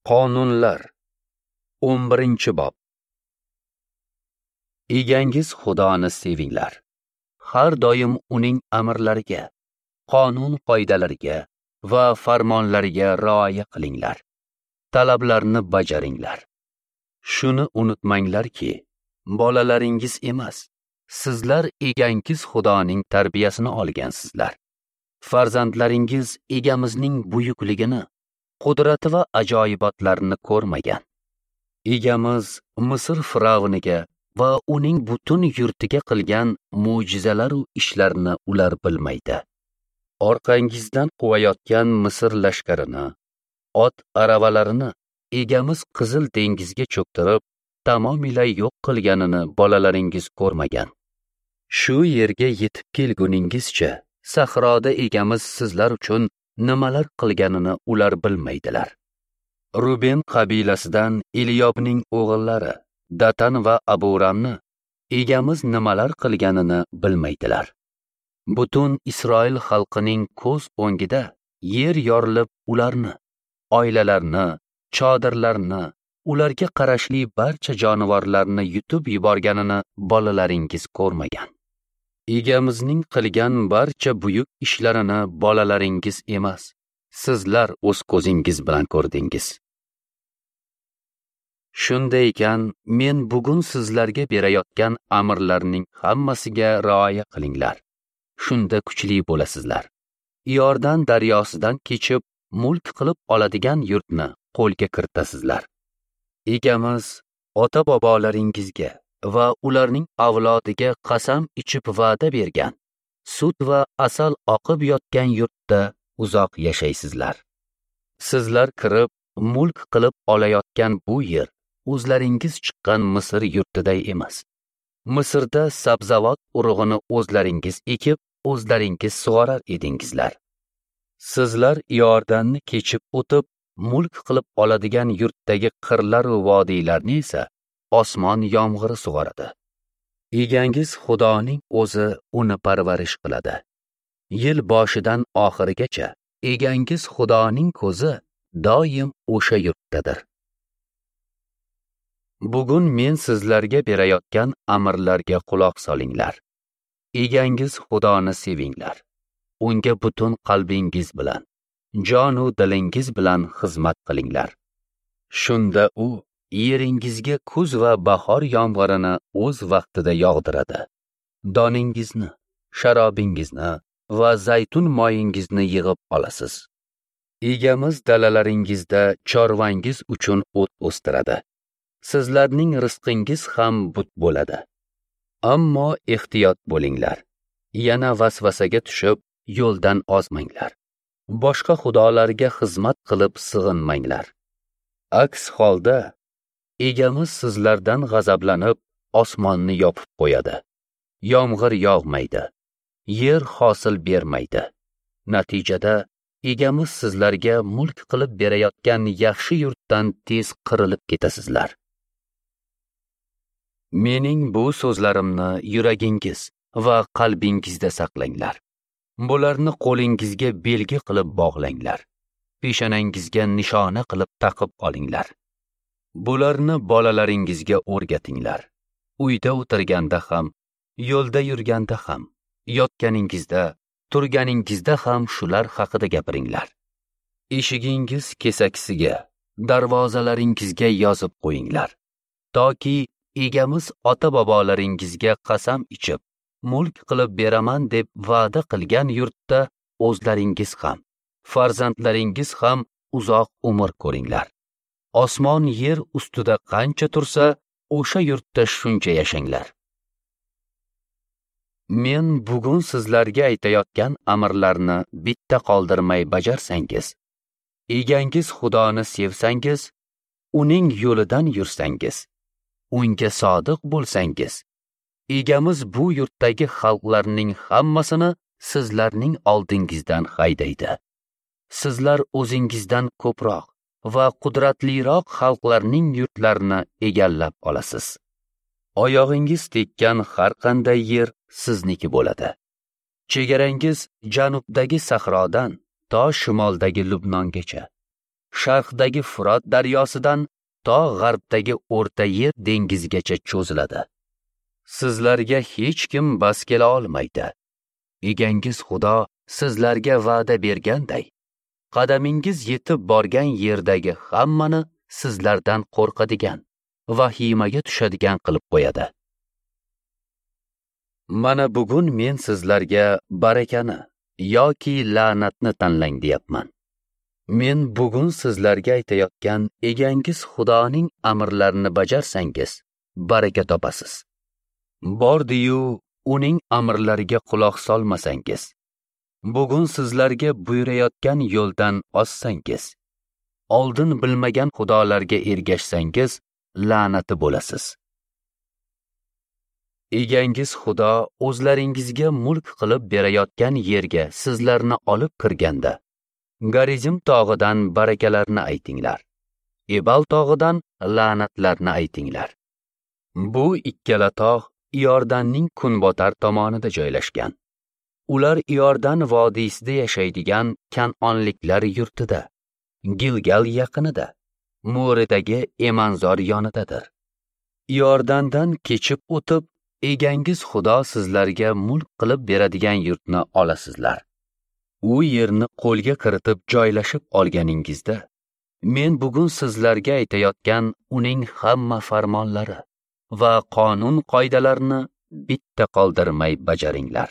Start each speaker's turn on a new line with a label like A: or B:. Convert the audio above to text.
A: Qonunlar 11-bob. Egangiz Xudoni sevinglar. Har doim uning amrlariga, qonun qoidalariga va farmonlariga rioya qilinglar. Talablarni bajaringlar. Shuni unutmanglarki, bolalaringiz emas, sizlar egangiz Xudoning tarbiyasini olgansizlar. Farzandlaringiz egamizning buyukligini, qudrati va ajoyibotlarini ko'rmagan. Egamiz Misr firavniga va uning butun yurtiga qilgan mo'jizalar va ishlarni ular bilmaydi. Orqangizdan quvayotgan Misr lashkarini, ot aravalarini egamiz Qizil dengizga cho'ktirib, tamomila yo'q qilganini bolalaringiz ko'rmagan. Shu yerga yetib kelguningizcha sahroda egamiz sizlar uchun nimalar qilganini ular bilmaydilar. Ruben qabilasidan Eliyobning o'g'illari Datan va Aburamni egamiz nimalar qilganini bilmaydilar. Butun Isroil xalqining ko'z o'ngida yer yorilib ularni, oilalarni, chodirlarni, ularga qarashli barcha jonivorlarni yutib yuborganini bolalaringiz ko'rmagan. Egamizning qilgan barcha buyuk ishlarini bolalaringiz emas, sizlar o'z ko'zingiz bilan ko'rdingiz. Shunday ekan, men bugun sizlarga berayotgan amrlarning hammasiga rioya qilinglar. Shunda kuchli bo'lasizlar. Iordan daryosidan kechib, mulk qilib oladigan yurtni qo'lga kiritasizlar. Egamiz ota-bobolaringizga va ularning avlodiga qasam ichib va'da bergan, sut va asal oqib yotgan yurtda uzoq yashaysizlar. Sizlar kirib, mulk qilib olayotgan bu yer o'zlaringiz chiqqan Misr yurtiday emas. Misrda sabzavot urug'ini o'zlaringiz ekib, o'zlaringiz sug'orar edingizlar. Sizlar Iordanni kechib o'tib, mulk qilib oladigan yurtdagi qirlar va vodiylarni esa osmon yomg'iri sug'oradi. Egangiz Xudoning o'zi uni parvarish qiladi. Yil boshidan oxirigacha egangiz Xudoning ko'zi doim o'sha yurtdadir. Bugun men sizlarga berayotgan amrlarga quloq solinglar. Egangiz Xudoni sevinglar. Unga butun qalbingiz bilan, jon u dilingiz bilan xizmat qilinglar. Shunda u yeringizga kuz va bahor yomg'irini o'z vaqtida yog'diradi. Doningizni, sharobingizni va zaytun moyingizni yig'ib olasiz. Egamiz dalalaringizda chorvangiz uchun o't o'stiradi. Sizlarning rizqingiz ham but bo'ladi. Ammo ehtiyot bo'linglar. Yana vasvasaga tushib, yo'ldan ozmanglar. Boshqa xudolarga xizmat qilib sig'inmanglar. Aks holda egamiz sizlardan g'azablanib, osmonni yopib qo'yadi. Yomg'ir yog'maydi, yer hosil bermaydi. Natijada egamiz sizlarga mulk qilib berayotgan yaxshi yurtdan tez qirilib ketasizlar. Mening bu so'zlarimni yuragingiz va qalbingizda saqlanglar. Bularni qo'lingizga belgi qilib bog'langlar. Peshonangizga nishona qilib taqib olinglar. Bularni bolalaringizga o'rgatinglar. Uyda o'tirganda ham, yo'lda yurganda ham, yotganingizda, turganingizda ham shular haqida gapiringlar. Eshigingiz kesakisiga, darvozalaringizga yozib qo'yinglar. Toki egamiz ota-bobolaringizga qasam ichib, mulk qilib beraman deb va'da qilgan yurtda o'zlaringiz ham, farzandlaringiz ham uzoq umr ko'ringlar. Osmon yer ustida qancha tursa, o'sha yurtda shuncha yashanglar. Men bugun sizlarga aytayotgan amrlarni bitta qoldirmay bajarsangiz, egangiz Xudoni sevsangiz, uning yo'lidan yursangiz, unga sodiq bo'lsangiz, egamiz bu yurtdagi xalqlarning hammasini sizlarning oldingizdan haydaydi. Sizlar o'zingizdan ko'proq va qudratliroq xalqlarning yurtlarini egallab olasiz. Oyog'ingiz tekkan har qanday yer sizniki bo'ladi. Chegarangiz janubdagi sahrodan to shimoldagi Lubnongacha, Sharqdagi Furot daryosidan to g'arbdagi O'rta Yer dengizigacha cho'ziladi. Sizlarga hech kim bas kela olmaydi. Egangiz Xudo sizlarga va'da berganday, qadamingiz yetib borgan yerdagi hammani sizlardan qo'rqadigan, vahimaga tushadigan qilib qo'yadi. Mana bugun men sizlarga barakani yoki la'natni tanlang deyapman. Men bugun sizlarga aytayotgan egangiz Xudoning amrlarini bajarsangiz, baraka topasiz. Bordi-yu uning amrlariga quloq solmasangiz, bugun sizlarga buyurayotgan yo'ldan ozsangiz, oldin bilmagan xudolarga ergashsangiz, la'nati bo'lasiz. Egangiz Xudo o'zlaringizga mulk qilib berayotgan yerga sizlarni olib kirganda, Garizim tog'idan barakalarni aytinglar, Ebal tog'idan la'natlarni aytinglar. Bu ikkala tog' Iordanning kunbotar tomonida joylashgan. Ular Iordan vodiysida yashaydigan kan'onliklar yurtida, Gilgal yaqinida, Mo'ridagi emanzor yonidadir. Iordandan kechib o'tib, egangiz Xudo sizlarga mulk qilib beradigan yurtni olasizlar. U yerni qo'lga kiritib joylashib olganingizda, men bugun sizlarga aytayotgan uning hamma farmonlari va qonun qoidalarini bitta qoldirmay bajaringlar.